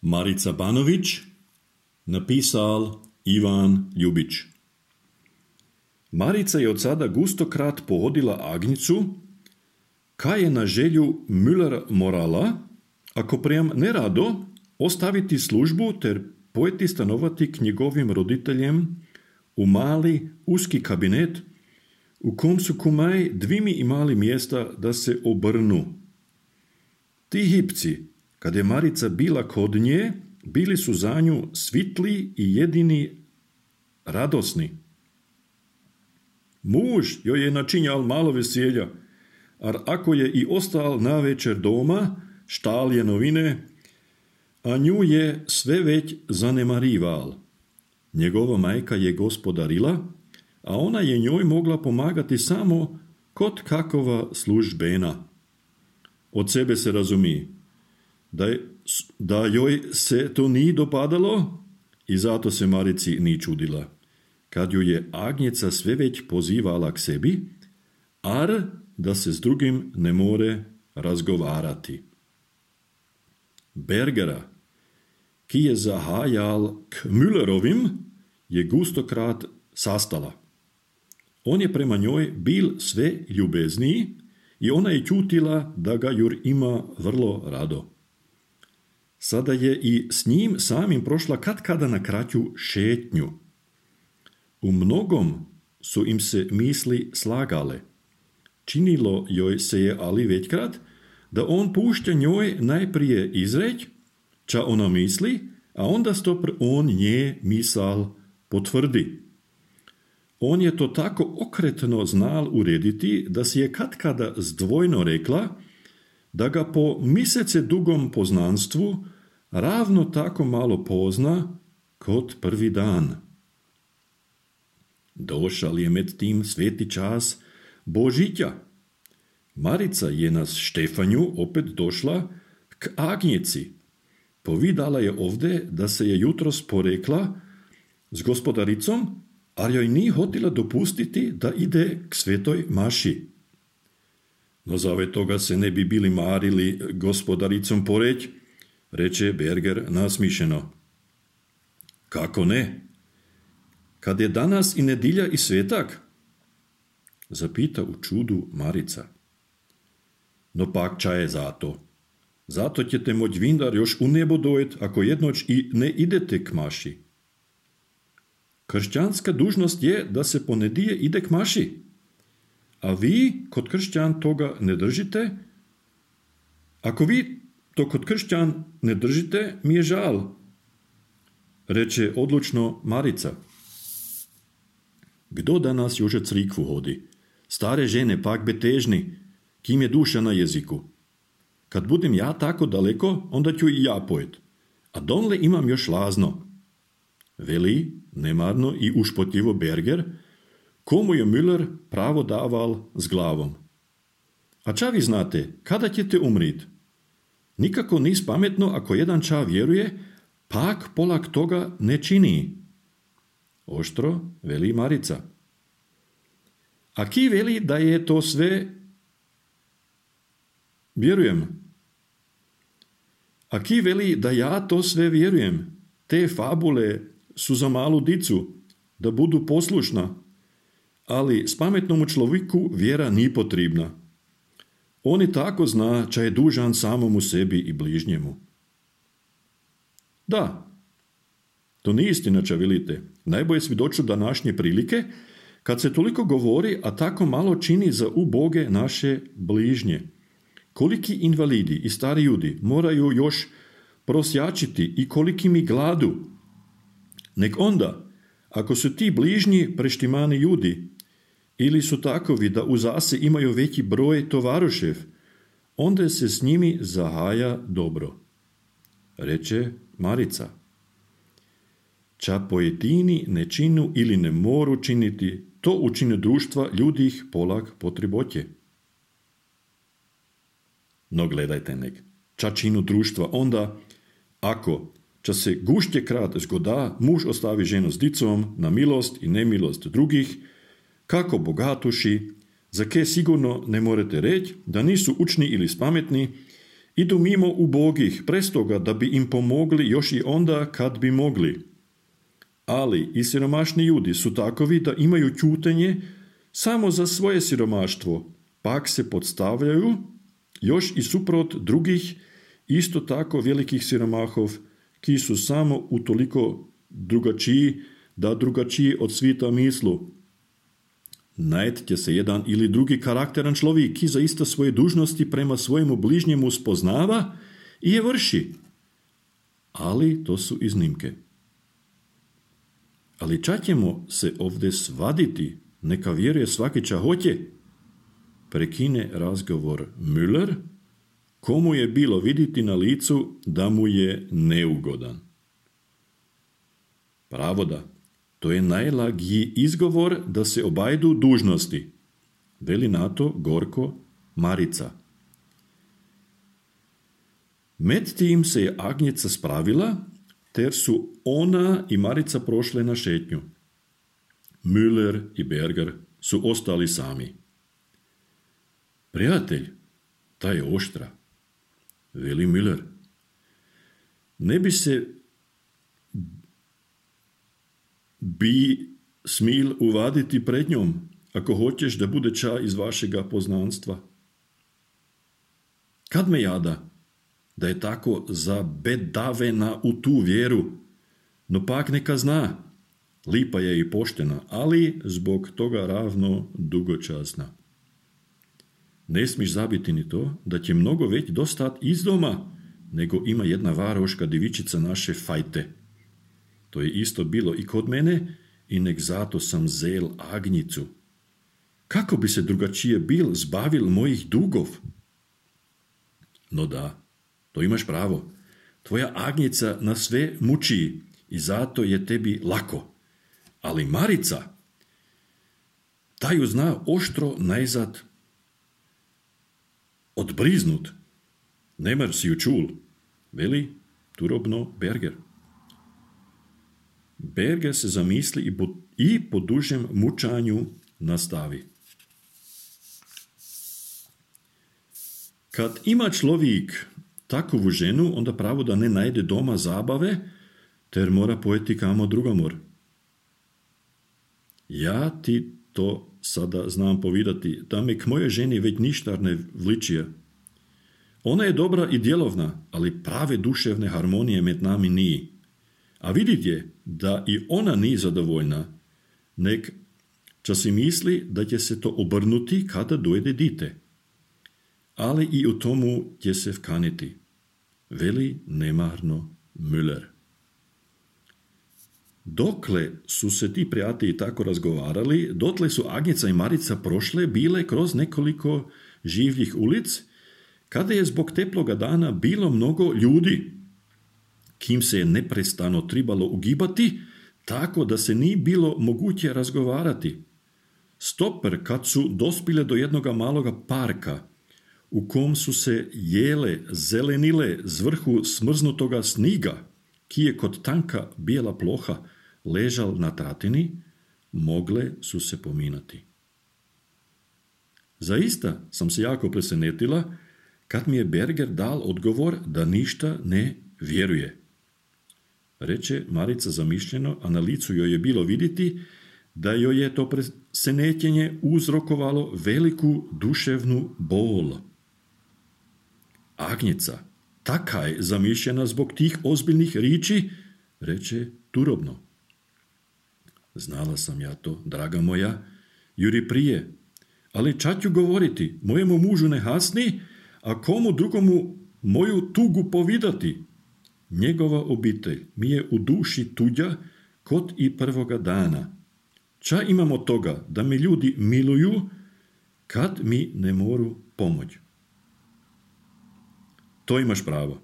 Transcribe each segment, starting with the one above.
Marica Banović, napisal Ivan Ljubić. Marica je od sada gustokrat pohodila Agnicu, kaj je na želju Müller morala, ako prijem nerado, ostaviti službu ter pojeti stanovati k njegovim roditeljem u mali, uski kabinet, u kom su kumaj dvimi imali mjesta da se obrnu. Ti hipci, kad je Marica bila kod nje, bili su za nju svitli i jedini radosni. Muž joj je načinjal malo veselja, ar ako je i ostal na večer doma, štal je novine, a nju je sve već zanemarival. Njegova majka je gospodarila, a ona je njoj mogla pomagati samo kod kakova službena. Od sebe se razumi, da joj se to nije dopadalo i zato se Marici ni čudila, kad ju je Agnjeca sve već pozivala k sebi, ar da se s drugim ne more razgovarati. Bergera, ki je zahajal k Müllerovim, je gustokrat sastala. On je prema njoj bil sve ljubezniji i ona je čutila da ga jur ima vrlo rado. Sada je i s njim samim prošla katkada na kraću šetnju. U mnogom su im se misli slagale. Činilo joj se je ali većkrat da on pušća njoj najprije izreć, ča ona misli, a onda stopr on nje misal potvrdi. On je to tako okretno znal urediti, da si je katkada zdvojno rekla, da ga po misece dugom poznanstvu ravno tako malo pozna kot prvi dan. Došal je med tim sveti čas Božića. Marica je na Štefanju opet došla k Agnjeci. Povidala je ovde da se je jutros porekla s gospodaricom, ali joj ni hotila dopustiti da ide k svetoj maši. No zave toga se ne bi bili marili gospodaricom poreć, reče Berger nasmišeno. Kako ne? Kad je danas i nedilja i svetak? Zapita u čudu Marica. No pak ča je zato? Zato ćete moć vindar još u nebo dojet, ako jednoć i ne idete k maši. Kršćanska dužnost je da se po nedije ide k maši. A vi kod kršćan toga ne držite? Ako vi to kod kršćan ne držite, mi je žal, reče odlučno Marica. Kdo danas još crikvu hodi? Stare žene pak betežni, kim je duša na jeziku. Kad budem ja tako daleko, onda ću i ja pojet. A donle imam još lazno. Veli, nemarno i ušpotljivo Berger, komu je Müller pravo daval s glavom. A ča vi znate, kada ćete umrit? Nikako nis pametno ako jedan ča vjeruje, pak polak toga ne čini. Oštro veli Marica. A ki veli da je to sve... Vjerujem. A ki veli da ja to sve vjerujem? Te fabule su za malu dicu, da budu poslušna, ali s pametnom človeku vjera ni potrebna. On i tako zna, ča je dužan samomu sebi i bližnjemu. Da, to nije istina, ča velite. Najbolje svjedoču današnje prilike, kad se toliko govori, a tako malo čini za uboge naše bližnje. Koliki invalidi i stari ljudi moraju još prosjačiti i koliki mi gladu. Nek onda, ako su ti bližnji preštimani ljudi, ili su takovi da u zase imaju veći broj tovarošev, onda se s njimi zahaja dobro, reče Marica. Ča pojedini ne činu ili ne moru činiti, to učine društva ljudih polak potrebotje. No gledajte nek, ča činu društva onda, ako ča se gušće krat zgoda, muž ostavi ženu s dicom na milost i nemilost drugih, kako bogatuši, za ke sigurno ne morete reći da nisu učni ili spametni Idu mimo ubogih, prestoga da bi im pomogli još i onda kad bi mogli. Ali i siromašni ljudi su takovi da imaju ćutenje samo za svoje siromaštvo, pak se podstavljaju još i suprot drugih isto tako velikih siromahov, ki su samo utoliko drugačiji, da drugačiji od svita mislu. Najdete se jedan ili drugi karakteran človek, ki zaista svoje dužnosti prema svojemu bližnjemu spoznava i je vrši. Ali to su iznimke. Ali čak ćemo se ovdje svaditi, neka vjeruje svaki ča hoće. Prekine razgovor Müller, komu je bilo vidjeti na licu da mu je neugodan. Pravoda, to je najlagiji izgovor da se obajdu dužnosti, veli na to gorko Marica. Med tim se je Agnjeca spravila, ter su ona i Marica prošle na šetnju. Müller i Berger su ostali sami. Prijatelj, ta je oštra, veli Müller. Ne bi se smil uvaditi pred njom, ako hoćeš da bude ča iz vašega poznanstva. Kad me jada, da je tako zabedavena u tu vjeru, no pak neka zna, lipa je i poštena, ali zbog toga ravno dugočasna. Ne smiš zabiti ni to, da će mnogo već dostat iz doma, nego ima jedna varoška divičica naše fajte. To je isto bilo i kod mene i nek zato sam zel Agnjicu. Kako bi se drugačije bil zbavil mojih dugov? No da, to imaš pravo. Tvoja Agnjica na sve muči i zato je tebi lako. Ali Marica, ta ju zna oštro najzad odbriznut. Nemar si ju čul, veli turobno Berger. Berger se zamisli i po dužem mučanju nastavi. Kad ima človek takovu ženu, onda pravo da ne najde doma zabave, ter mora pojeti kamo drugomor. Ja ti to sada znam povidati, da me k moje ženi već ništa ne vličije. Ona je dobra i djelovna, ali prave duševne harmonije med nami nije. A vidite da i ona nije zadovoljna, nek ča si misli da će se to obrnuti kada dojde dite. Ali i u tomu će se vkaniti, veli nemarno Müller. Dokle su se ti prijatelji tako razgovarali, dotle su Agnjeca i Marica prošle bile kroz nekoliko življih ulic, kada je zbog teploga dana bilo mnogo ljudi, kim se je neprestano tribalo ugibati, tako da se nije bilo moguće razgovarati. Stoper, kad su dospile do jednoga maloga parka, u kom su se jele, zelenile z vrhu smrznutoga sniga, ki je kod tanka bijela ploha ležal na tratini, mogle su se pominati. Zaista sam se jako presenetila kad mi je Berger dal odgovor da ništa ne vjeruje. Reče Marica zamišljeno, a na licu joj je bilo vidjeti da joj je to presenetjenje uzrokovalo veliku duševnu bol. Agnjeca, taka je zamišljena zbog tih ozbiljnih riči, reče turobno. Znala sam ja to, draga moja, juri prije, ali ča ću govoriti, mojemu mužu ne hasni, a komu drugomu moju tugu povidati. Njegova obitelj mi je u duši tuđa kod i prvoga dana. Ča imamo toga da me ljudi miluju kad mi ne moru pomoć. To imaš pravo.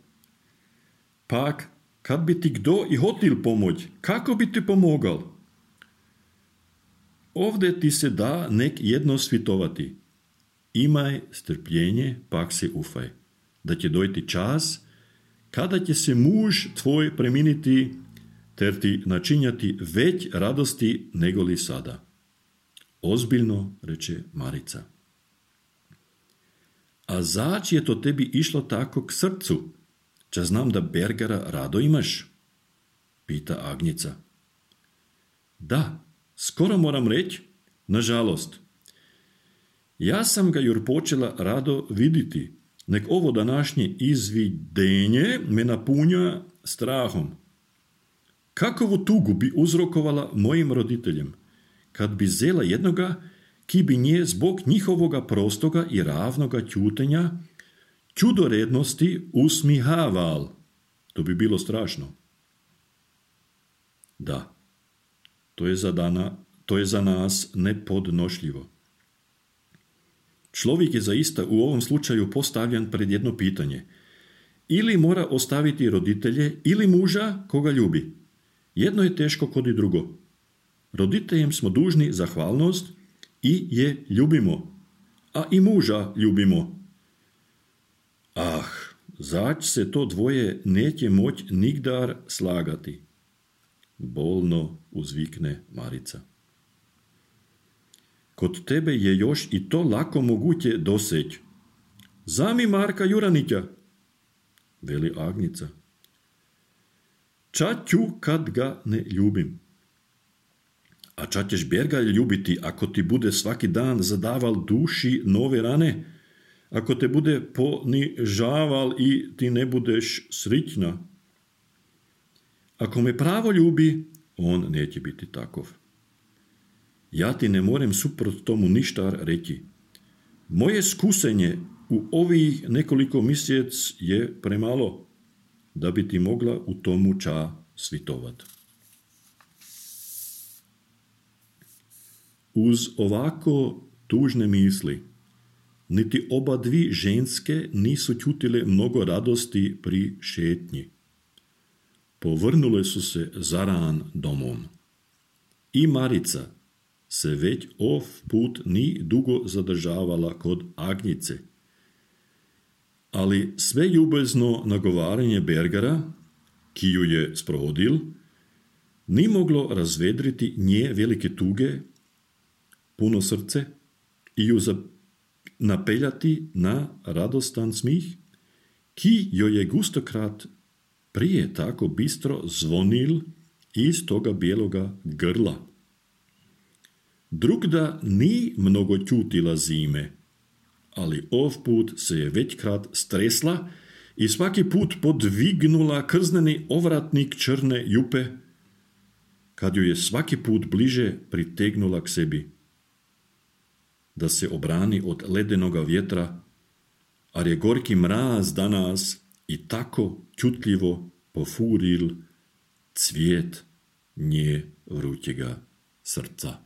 Pak, kad bi ti kdo i hotil pomoć, kako bi ti pomogal? Ovdje ti se da nek jedno svitovati. Imaj strpljenje, pak se ufaj, da će dojti čas kada će se muž tvoj preminiti, ter ti načinjati već radosti nego li sada. Ozbiljno, reče Marica. A zač je to tebi išlo tako k srcu? Ča znam da Bergara rado imaš? Pita Agnica. Da, skoro moram reći, nažalost. Ja sam ga jur počela rado viditi, nek ovo današnje izvidenje me napunja strahom. Kakovu tugu bi uzrokovala mojim roditeljem, kad bi zela jednoga, ki bi nje zbog njihovoga prostoga i ravnoga ćutenja, čudorednosti usmihaval. To bi bilo strašno. Da, to je za nas nepodnošljivo. Čovjek je zaista u ovom slučaju postavljen pred jedno pitanje. Ili mora ostaviti roditelje, ili muža koga ljubi. Jedno je teško kod i drugo. Roditeljem smo dužni zahvalnost i je ljubimo, a i muža ljubimo. Zač se to dvoje neće moć nigdar slagati. Bolno uzvikne Marica. Kod tebe je još i to lako moguće doseć. Zami Marka Juranića, veli Agnica. Ča ću kad ga ne ljubim? A ča ćeš Berga ljubiti ako ti bude svaki dan zadaval duši nove rane? Ako te bude ponižaval i ti ne budeš srićna? Ako me pravo ljubi, on neće biti takov. Ja ti ne morem suprot tomu ništa reći. Moje skusenje u ovih nekoliko mjesec je premalo, da bi ti mogla u tomu ča svitovat. Uz ovako tužne misli, niti oba dvi ženske nisu čutile mnogo radosti pri šetnji. Povrnule su se zaran domom. I Marica se već put ni dugo zadržavala kod Agnice. Ali sve ljubezno nagovaranje Bergara, ki ju je sprovodil, ni moglo razvedriti nje velike tuge, puno srce i ju napeljati na radostan smih, ki joj je gustokrat prije tako bistro zvonil iz toga bijeloga grla. Drugda ni mnogo čutila zime, ali put se je većkrat stresla i svaki put podvignula krzneni ovratnik črne jupe, kad ju je svaki put bliže pritegnula k sebi, da se obrani od ledenoga vjetra, ar je gorki mraz danas i tako čutljivo pofuril cvijet nje vrućega srca.